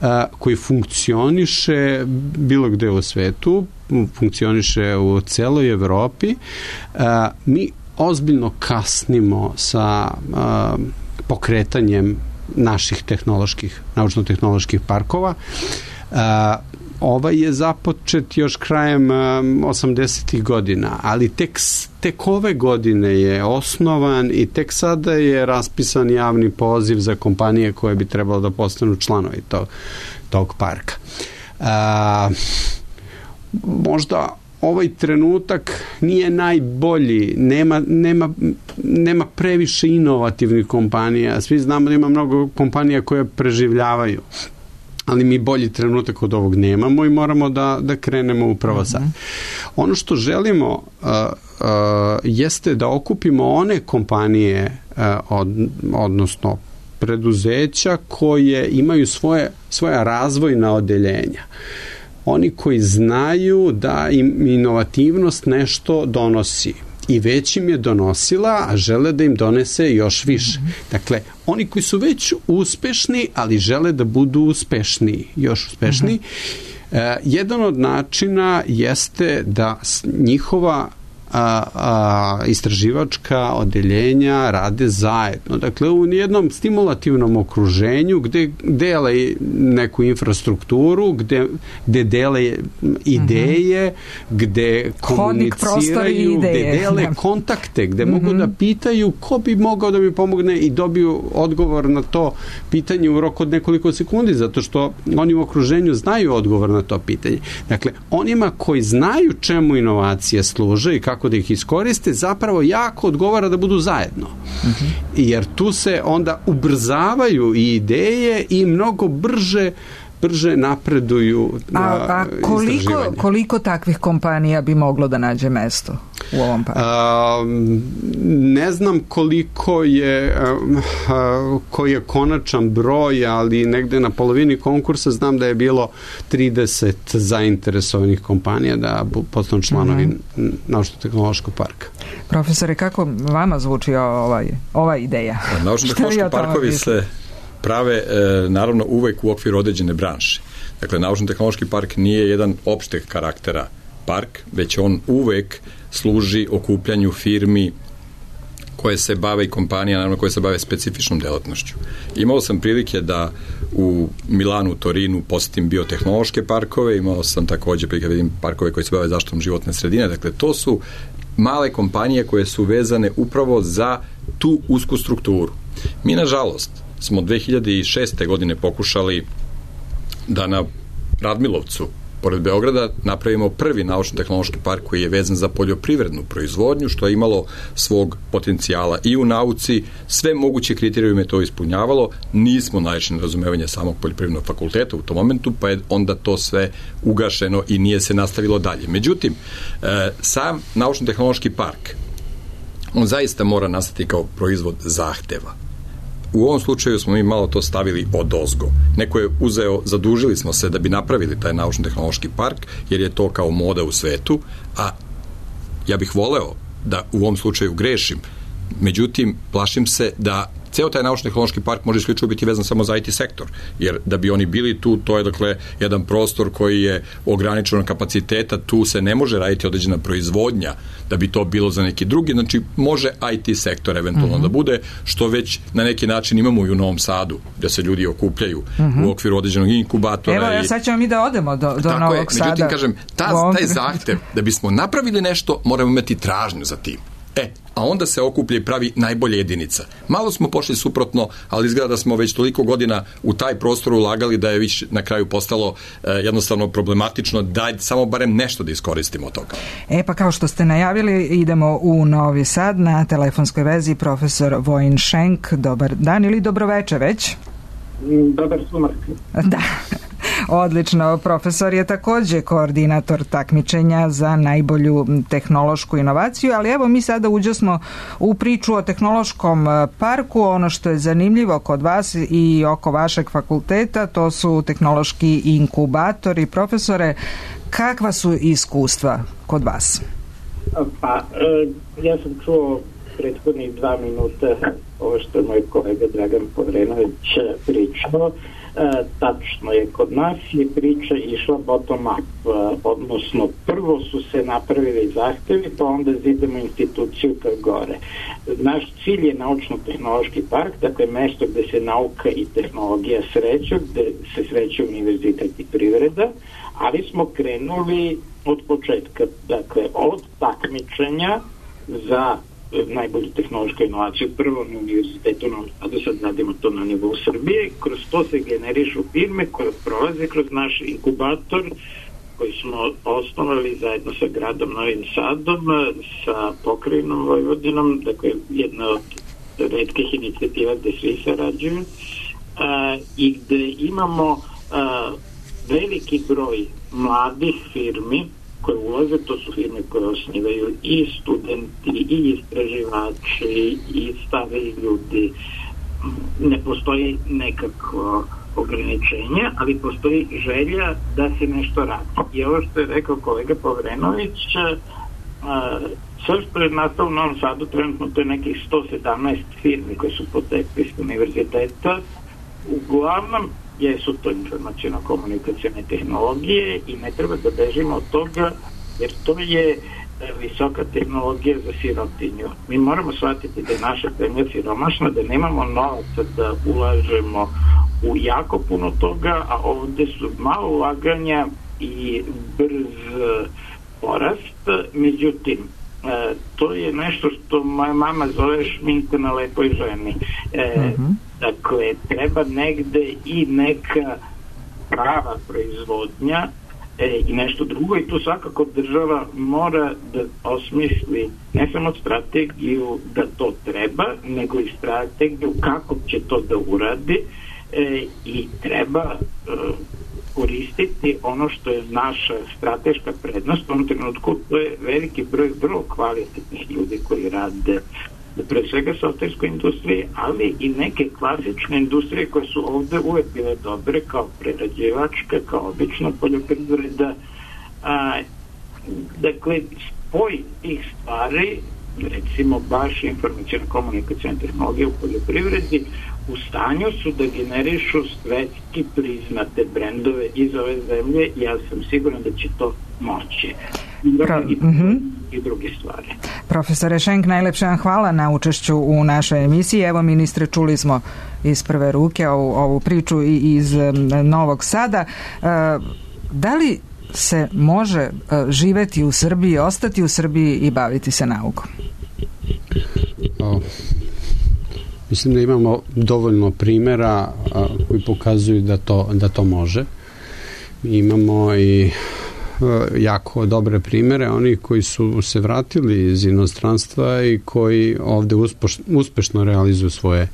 e, koji funkcioniše bilo gde u svetu, funkcioniše u celoj Evropi. E, mi ozbiljno kasnimo sa uh, pokretanjem naših tehnoloških, naučno-tehnoloških parkova. Uh, ovaj je započet još krajem um, osamdesetih godina, ali tek, tek ove godine je osnovan i tek sada je raspisan javni poziv za kompanije koje bi trebalo da postanu članovi tog, tog parka. Uh, možda ovaj trenutak nije najbolji, nema, nema, nema previše inovativnih kompanija, svi znamo da ima mnogo kompanija koje preživljavaju, ali mi bolji trenutak od ovog nemamo i moramo da, da krenemo upravo sad. Ono što želimo uh, uh, jeste da okupimo one kompanije, uh, od, odnosno preduzeća koje imaju svoje, svoja razvojna odeljenja. Oni koji znaju da im inovativnost nešto donosi i već im je donosila, a žele da im donese još više. Dakle, oni koji su već uspešni, ali žele da budu uspešniji, još uspešniji. E, jedan od načina jeste da njihova A, a, istraživačka odeljenja rade zajedno. Dakle, u jednom stimulativnom okruženju gde dele neku infrastrukturu, gde, gde dele ideje, mm-hmm. gde komuniciraju, gde dele kontakte, gde mm-hmm. mogu da pitaju ko bi mogao da mi pomogne i dobiju odgovor na to pitanje u roku od nekoliko sekundi, zato što oni u okruženju znaju odgovor na to pitanje. Dakle, onima koji znaju čemu inovacije služe i kako kako da ih iskoriste, zapravo jako odgovara da budu zajedno. Mm-hmm. Jer tu se onda ubrzavaju i ideje i mnogo brže brže napreduju na a, a koliko, koliko takvih kompanija bi moglo da nađe mesto u ovom parku? A, ne znam koliko je a, koji je konačan broj, ali negde na polovini konkursa znam da je bilo trideset zainteresovanih kompanija da postanu članovi mm-hmm. naučno-tehnološkog parka. Profesore, kako vama zvuči ovaj, ova ideja? Naučno-tehnološki parkovi se prave, e, naravno, uvek u okviru određene branše. Dakle, naučno-tehnološki park nije jedan opšteg karaktera park, već on uvek služi okupljanju firmi koje se bave i kompanija, naravno, koje se bave specifičnom delatnošću. Imao sam prilike da u Milanu, Torinu posjetim biotehnološke parkove, imao sam takođe prilike da vidim parkove koji se bave zaštitom životne sredine. Dakle, to su male kompanije koje su vezane upravo za tu usku strukturu. Mi, nažalost, smo dve hiljade šeste. godine pokušali da na Radmilovcu pored Beograda napravimo prvi naučno-tehnološki park koji je vezan za poljoprivrednu proizvodnju, što je imalo svog potencijala i u nauci, sve moguće kriterijume to ispunjavalo, nismo naišli na razumevanje samog poljoprivrednog fakulteta u tom momentu, pa je onda to sve ugašeno i nije se nastavilo dalje. Međutim, e, sam naučno-tehnološki park, on zaista mora nastati kao proizvod zahteva. U ovom slučaju smo mi malo to stavili odozgo. Neko je uzeo, zadužili smo se da bi napravili taj naučno-tehnološki park, jer je to kao moda u svetu, a ja bih voleo da u ovom slučaju grešim. Međutim, plašim se da ceo taj naučno-tehnološki park može isključivo biti vezan samo za I T sektor, jer da bi oni bili tu, to je dakle jedan prostor koji je ograničenog kapaciteta, tu se ne može raditi određena proizvodnja da bi to bilo za neki drugi, znači može I T sektor eventualno mm-hmm. da bude, što već na neki način imamo i u Novom Sadu, gde se ljudi okupljaju mm-hmm. u okviru određenog inkubatora. Evo, ja sad ćemo mi da odemo do, do Novog je, Sada. Međutim, kažem, ta, taj zahtev da bismo napravili nešto, moramo imati tražnju za tim. E, a onda se okuplja i pravi najbolja jedinica. Malo smo pošli suprotno, ali izgleda da smo već toliko godina u taj prostor ulagali da je više na kraju postalo e, jednostavno problematično da samo barem nešto da iskoristimo od toga. E pa kao što ste najavili, idemo u Novi Sad, na telefonskoj vezi profesor Vojin Šenk. Dobar dan ili dobroveče već? Dobar sumak. Da. Odlično, profesor je takođe koordinator takmičenja za najbolju tehnološku inovaciju, ali evo mi sada uđosmo u priču o tehnološkom parku. Ono što je zanimljivo kod vas i oko vašeg fakulteta, to su tehnološki inkubatori. Profesore, kakva su iskustva kod vas? Pa, ja sam čuo prethodnih dva minuta ovo što je moj kolega Dragan Povrenović pričao. E, tačno je, kod nas je priča išla bottom up, e, odnosno prvo su se napravili zahtevi, pa onda zidamo instituciju ka gore. Naš cilj je naučno-tehnološki park, dakle mesto gde se nauka i tehnologija sreću, gde se sreće univerzitet i privreda, ali smo krenuli od početka, dakle od takmičenja za najbolju tehnološku inovaciju prvo na univerzitetu u Novom Sadu, sad radimo to na nivou Srbije, kroz to se generišu firme koje prolaze kroz naš inkubator koji smo osnovali zajedno sa gradom Novim Sadom, sa pokrajinom Vojvodinom, dakle jedna od retkih inicijativa gde svi sarađuju a, i gde imamo a, veliki broj mladih firmi koje ulaze, to su firme koje osnivaju i studenti, i istraživači, i stariji ljudi. Ne postoji nekako ograničenje, ali postoji želja da se nešto radi. I ovo što je rekao kolega Povrenović, sve što je nastalo u Novom Sadu, trenutno to je nekih sto sedamnaest firmi koje su potekli iz univerziteta. Uglavnom, jesu to informaciono-komunikacijne tehnologije i ne treba da bežimo od toga, jer to je visoka tehnologija za sirotinju. Mi moramo shvatiti da je naša zemlja siromašna, da nemamo novaca da ulažemo u jako puno toga, a ovde su malo ulaganja i brz porast. Međutim, e, to je nešto što moja mama zove šminka na lepoj ženi. E, uh-huh. Dakle, treba negde i neka prava proizvodnja e, i nešto drugo, i tu svakako država mora da osmisli ne samo strategiju da to treba, nego i strategiju kako će to da uradi e, i treba e, koristiti ono što je naša strateška prednost u ovom trenutku. To je veliki broj vrlo kvalitetnih ljudi koji rade pre svega softverskoj industriji, ali i neke klasične industrije koje su ovde uvek bile dobre, kao prerađivačka, kao obična poljoprivreda. A, dakle, spoj tih stvari, recimo baš informacijno-komunikacijne tehnologije u poljoprivredi, u stanju su da generišu svetski priznate brendove iz ove zemlje. Ja sam siguran da će to moći. Pro, i, uh-huh. i druge stvari. Profesore Šenk, najlepše vam hvala na učešću u našoj emisiji. Evo, ministre, čuli smo iz prve ruke ovu, ovu priču i iz Novog Sada. Da li se može živeti u Srbiji, ostati u Srbiji i baviti se naukom? O, mislim da imamo dovoljno primjera a, koji pokazuju da to, da to može. Imamo i jako dobre primere, oni koji su se vratili iz inostranstva i koji ovde uspešno, uspešno realizuju svoje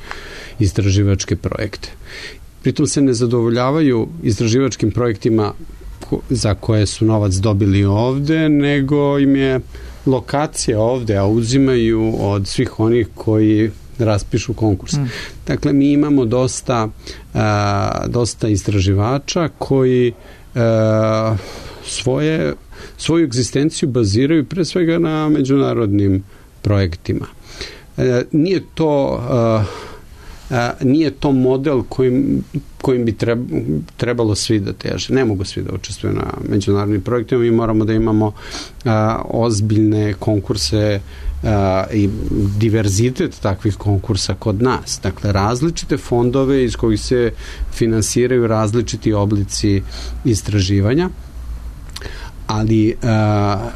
istraživačke projekte. Pritom se ne zadovoljavaju istraživačkim projektima za koje su novac dobili ovde, nego im je lokacija ovde, a uzimaju od svih onih koji raspišu konkurs. Mm. Dakle, mi imamo dosta, a, dosta istraživača koji a, svoje, svoju egzistenciju baziraju pre svega na međunarodnim projektima. E, nije to a, a, nije to model kojim, kojim bi trebalo svi da teže. Ne mogu svi da učestvuju na međunarodnim projektima. Mi moramo da imamo a, ozbiljne konkurse a, i diverzitet takvih konkursa kod nas. Dakle, različite fondove iz kojih se finansiraju različiti oblici istraživanja, ali a,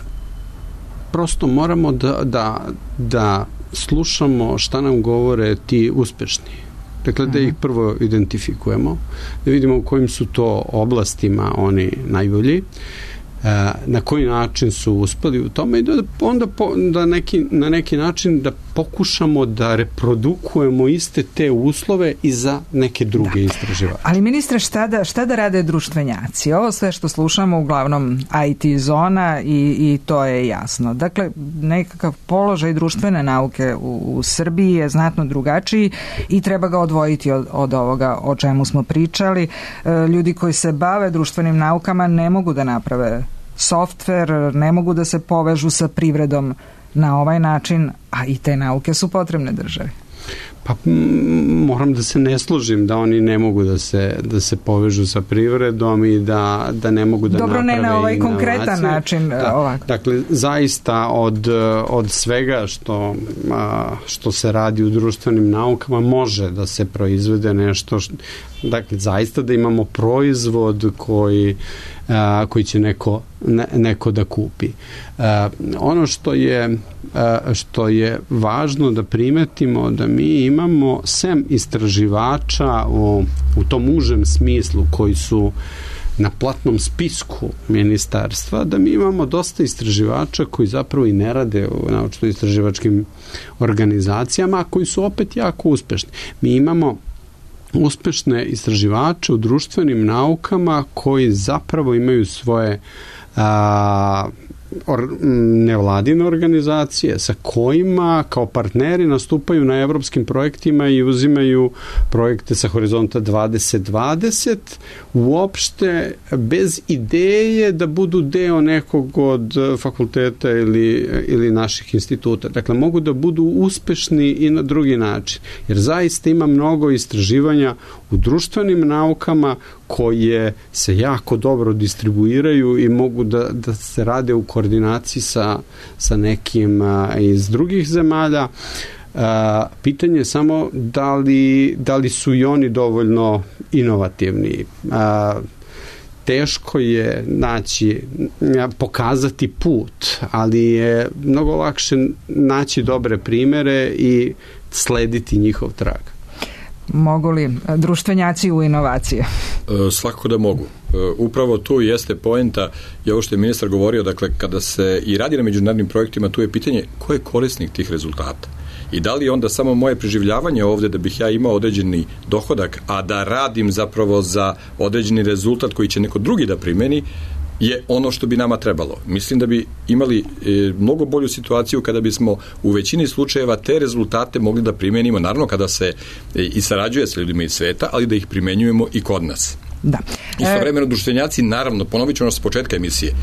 prosto moramo da, da, da slušamo šta nam govore ti uspešni. Dakle, da ih prvo identifikujemo, da vidimo u kojim su to oblastima oni najbolji, na koji način su uspeli u tome i da onda po, da neki, na neki način da pokušamo da reprodukujemo iste te uslove i za neke druge da. istraživače. Ali ministre, šta da, šta da rade društvenjaci? Ovo sve što slušamo uglavnom I T zona i, i to je jasno. Dakle, nekakav položaj društvene nauke u, u Srbiji je znatno drugačiji i treba ga odvojiti od, od ovoga o čemu smo pričali. E, ljudi koji se bave društvenim naukama ne mogu da naprave softver, ne mogu da se povežu sa privredom na ovaj način, a i te nauke su potrebne državi. Pa moram da se ne složim da oni ne mogu da se, da se povežu sa privredom i da, da ne mogu da Dobro, naprave ne na ovaj inovacije. Konkretan način. Da, ovako. Dakle, zaista od, od svega što, što se radi u društvenim naukama može da se proizvede nešto, što, dakle, zaista da imamo proizvod koji a, koji će neko, ne, neko da kupi. A, ono što je, a, što je važno da primetimo da mi imamo sem istraživača u, u tom užem smislu koji su na platnom spisku ministarstva, da mi imamo dosta istraživača koji zapravo i ne rade u naučno-istraživačkim organizacijama, a koji su opet jako uspešni. Mi imamo uspešne istraživače u društvenim naukama koji zapravo imaju svoje a, or, nevladine organizacije sa kojima kao partneri nastupaju na evropskim projektima i uzimaju projekte sa Horizonta dvadeset dvadeset uopšte bez ideje da budu deo nekog od fakulteta ili, ili naših instituta. Dakle, mogu da budu uspešni i na drugi način. Jer zaista ima mnogo istraživanja u društvenim naukama koje se jako dobro distribuiraju i mogu da, da se rade u koordinaciji sa, sa nekim a, iz drugih zemalja. A, pitanje je samo da li, da li su i oni dovoljno inovativni. A, teško je naći, pokazati put, ali je mnogo lakše naći dobre primere i slediti njihov trag. Mogu li društvenjaci u inovacije? E, svakako da mogu. E, upravo tu jeste poenta i ovo što je ministar govorio, dakle, kada se i radi na međunarodnim projektima, tu je pitanje ko je korisnik tih rezultata. I da li onda samo moje preživljavanje ovde da bih ja imao određeni dohodak, a da radim zapravo za određeni rezultat koji će neko drugi da primeni, je ono što bi nama trebalo. Mislim da bi imali e, mnogo bolju situaciju kada bismo u većini slučajeva te rezultate mogli da primenimo, naravno kada se e, i sarađuje sa ljudima iz sveta, ali da ih primenjujemo i kod nas. Da. Istovremeno društvenjaci, naravno, ponovit ću ono s početka emisije,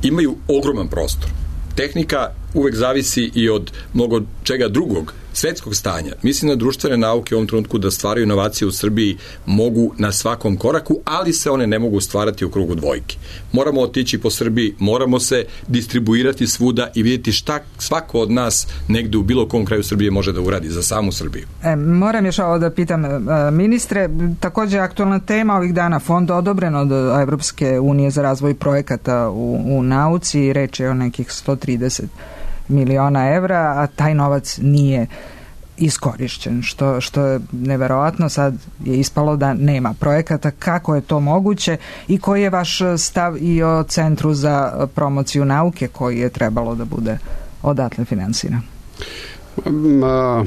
imaju ogroman prostor. Tehnika uvek zavisi i od mnogo čega drugog, svetskog stanja. Mislim da društvene nauke u ovom trenutku da stvaraju inovacije u Srbiji mogu na svakom koraku, ali se one ne mogu stvarati u krugu dvojke. Moramo otići po Srbiji, moramo se distribuirati svuda i vidjeti šta svako od nas negde u bilo kom kraju Srbije može da uradi za samu Srbiju. E, moram još ovo da pitam ministre, takođe aktualna tema ovih dana, fond odobren od Evropske unije za razvoj projekata u, u nauci, reč je o nekih sto trideset miliona evra, a taj novac nije iskorišćen, što, što je neverovatno. Sad je ispalo da nema projekata. Kako je to moguće i koji je vaš stav i o Centru za promociju nauke koji je trebalo da bude odatle finansiran? Ma,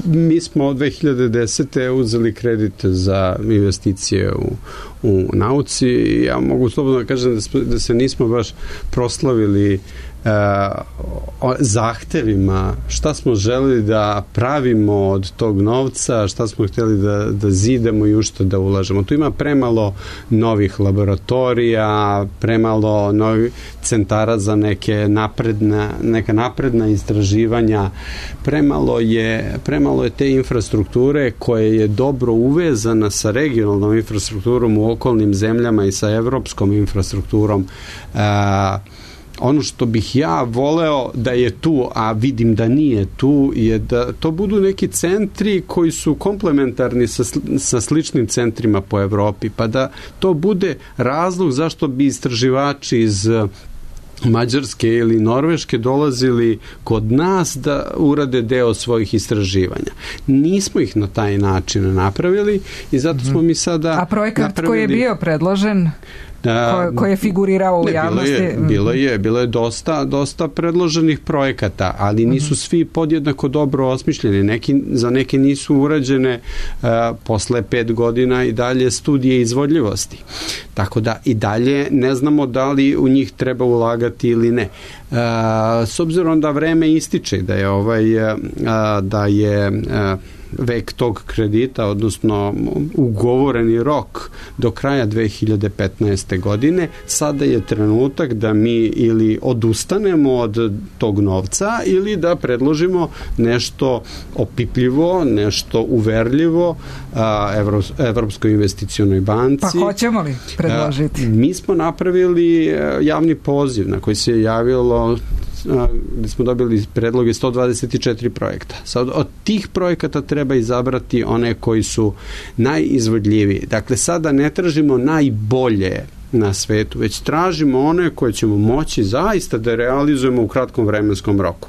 mi smo od dve hiljade desete uzeli kredit za investicije u, u nauci i ja mogu slobodno da kažem da, smo, da se nismo baš proslavili Uh, zahtevima, šta smo želeli da pravimo od tog novca, šta smo htjeli da, da zidamo i u što da ulažemo. Tu ima premalo novih laboratorija, premalo novih centara za neke napredna, neka napredna istraživanja, premalo je, premalo je te infrastrukture koja je dobro uvezana sa regionalnom infrastrukturom u okolnim zemljama i sa evropskom infrastrukturom. Uh, Ono što bih ja voleo da je tu, a vidim da nije tu, je da to budu neki centri koji su komplementarni sa, sa sličnim centrima po Evropi, pa da to bude razlog zašto bi istraživači iz Mađarske ili Norveške dolazili kod nas da urade deo svojih istraživanja. Nismo ih na taj način napravili i zato smo mi sada A projekat napravili... koji je bio predložen Ko, koji je figurirao u ne, javnosti? Bilo je, bilo je, bilo je dosta, dosta predloženih projekata, ali nisu mm-hmm. svi podjednako dobro osmišljeni. Neki, za neke nisu urađene uh, posle pet godina i dalje studije izvodljivosti. Tako da i dalje ne znamo da li u njih treba ulagati ili ne. Uh, s obzirom da vreme ističe, da je ovaj, uh, da je uh, vek tog kredita, odnosno ugovoreni rok do kraja dve hiljade petnaeste. godine, sada je trenutak da mi ili odustanemo od tog novca ili da predložimo nešto opipljivo, nešto uverljivo a, Evro, Evropskoj investicionoj banci. Pa hoćemo li predložiti? A, mi smo napravili javni poziv na koji se javilo gde smo dobili predloge sto dvadeset četiri projekta. Sad od tih projekata treba izabrati one koji su najizvodljiviji. Dakle, sada ne tražimo najbolje na svetu, već tražimo one koje ćemo moći zaista da realizujemo u kratkom vremenskom roku.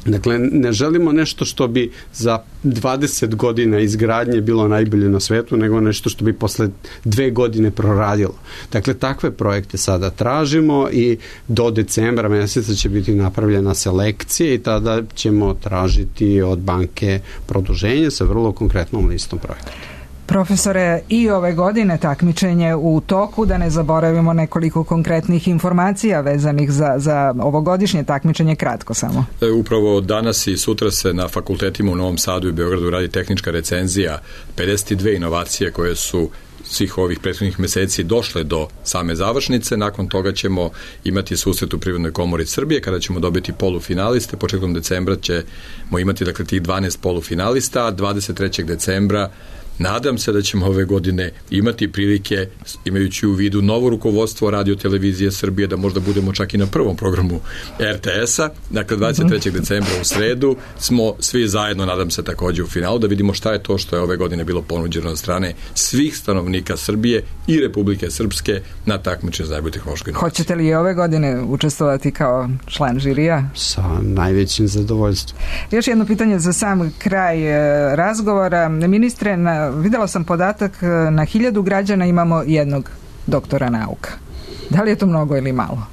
Dakle, ne želimo nešto što bi za dvadeset godina izgradnje bilo najbolje na svetu, nego nešto što bi posle dve godine proradilo. Dakle, takve projekte sada tražimo i do decembra meseca će biti napravljena selekcija i tada ćemo tražiti od banke produženje sa vrlo konkretnom listom projekta. Profesore, i ove godine takmičenje u toku, da ne zaboravimo nekoliko konkretnih informacija vezanih za, za ovogodišnje takmičenje, kratko samo. Upravo danas i sutra se na fakultetima u Novom Sadu i Beogradu radi tehnička recenzija pedeset dve inovacije koje su svih ovih prethodnih meseci došle do same završnice. Nakon toga ćemo imati susret u Privrednoj komori Srbije kada ćemo dobiti polufinaliste. Početkom decembra ćemo imati dakle tih dvanaest polufinalista, a dvadeset trećeg decembra nadam se da ćemo ove godine imati prilike, imajući u vidu novo rukovodstvo Radio Televizije Srbije, da možda budemo čak i na prvom programu er te es-a. Dakle, dvadeset trećeg decembra u sredu smo svi zajedno, nadam se, takođe u finalu, da vidimo šta je to što je ove godine bilo ponuđeno od strane svih stanovnika Srbije i Republike Srpske na takmičenju za najbolju tehnološku inovaciju. Hoćete li i ove godine učestvovati kao član žirija? Sa najvećim zadovoljstvom. Još jedno pitanje za sam kraj razgovora. Ministre, na videla sam podatak, na hiljadu građana imamo jednog doktora nauka. Da li je to mnogo ili malo?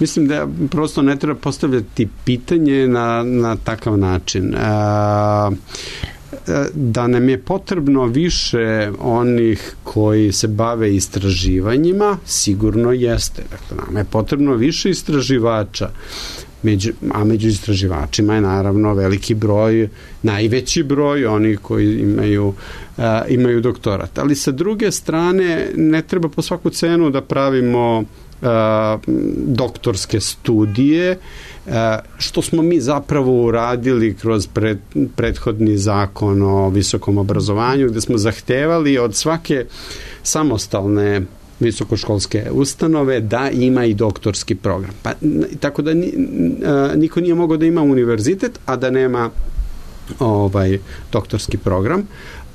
Mislim da prosto ne treba postavljati pitanje na, na takav način. A, da nam je potrebno više onih koji se bave istraživanjima, sigurno jeste. Dakle, nam je potrebno više istraživača. Među, a među istraživačima je naravno veliki broj, najveći broj onih koji imaju, a, imaju doktorat. Ali sa druge strane ne treba po svaku cenu da pravimo a, doktorske studije, a, što smo mi zapravo uradili kroz pred, prethodni zakon o visokom obrazovanju, gde smo zahtevali od svake samostalne visokoškolske ustanove da ima i doktorski program. Pa, tako da niko nije mogao da ima univerzitet, a da nema ovaj doktorski program.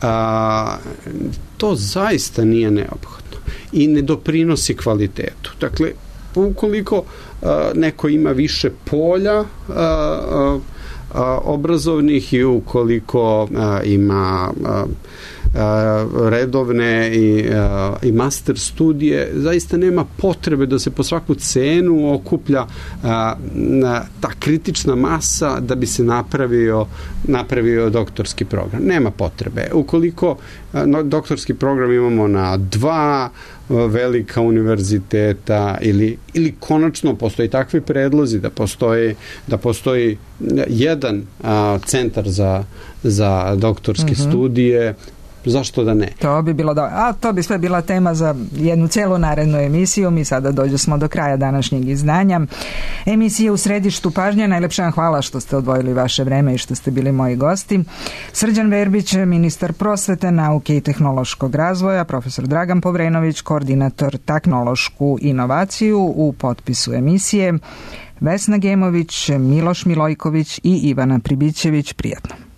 A, to zaista nije neophodno i ne doprinosi kvalitetu. Dakle, ukoliko a, neko ima više polja a, a, a, obrazovnih i ukoliko a, ima a, redovne i, i master studije, zaista nema potrebe da se po svaku cenu okuplja a, ta kritična masa da bi se napravio, napravio doktorski program. Nema potrebe. Ukoliko a, no, doktorski program imamo na dva velika univerziteta ili, ili konačno postoji takvi predlozi da postoji, da postoji jedan a, centar za, za doktorske mm-hmm. studije, zašto da ne? To bi bilo dobro. A to bi sve bila tema za jednu celu narednu emisiju. Mi sada dođe smo do kraja današnjeg izdanja. Emisije U središtu pažnje. Najlepša vam hvala što ste odvojili vaše vreme i što ste bili moji gosti. Srđan Verbić, ministar prosvete, nauke i tehnološkog razvoja, profesor Dragan Povrenović, koordinator tehnološku inovaciju u potpisu emisije, Vesna Gemović, Miloš Milojković i Ivana Pribićević. Prijatno.